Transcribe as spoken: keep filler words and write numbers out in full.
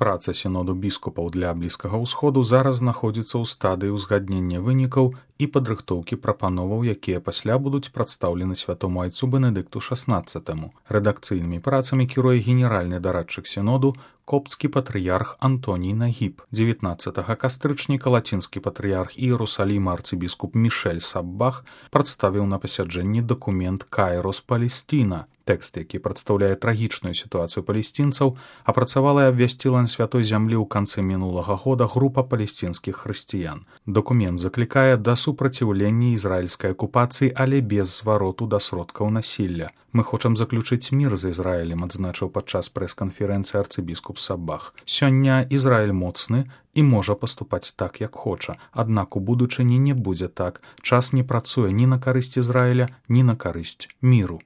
Праца сіноду біскупаў для Блізкага ўсходу зараз знаходзіцца ў стадыі ўзгаднення вынікаў і падрыхтоўкі прапановаў, якія пасля будуць прадстаўлены святому айцу Бенедыкту шаснаццатаму. Рэдакцыйнымі працамі кіруе генеральны дарадчык сіноду копцкі патрыярх Антоній Нагіб. дзевятнаццатага кастрычніка лацінскі патрыярх Іерусаліма арцыбіскуп Мішэль Саббах прадставіў на пасяджэнні дакумент «Кайрос Палестина». Тэкст, які прадстаўляе трагічную сітуацыю палесцінцаў, апрацавала і абвясціла на святой зямлі ў канцы мінулага года група палесцінскіх хрысціян. Дакумент заклікае да супраціўлення ізраільскай акупацыі, але без звароту да сродкаў насілля. «Мы хочам заключыць мір з Ізраілем», адзначыў падчас прэс-канферэнцыі арцыбіскуп Саббах. «Сёння Ізраіль моцны і можа паступаць так, як хоча. Аднак у будучыні не будзе так. Час не працуе ні на карысць Ізраіля, ні на карысць міру».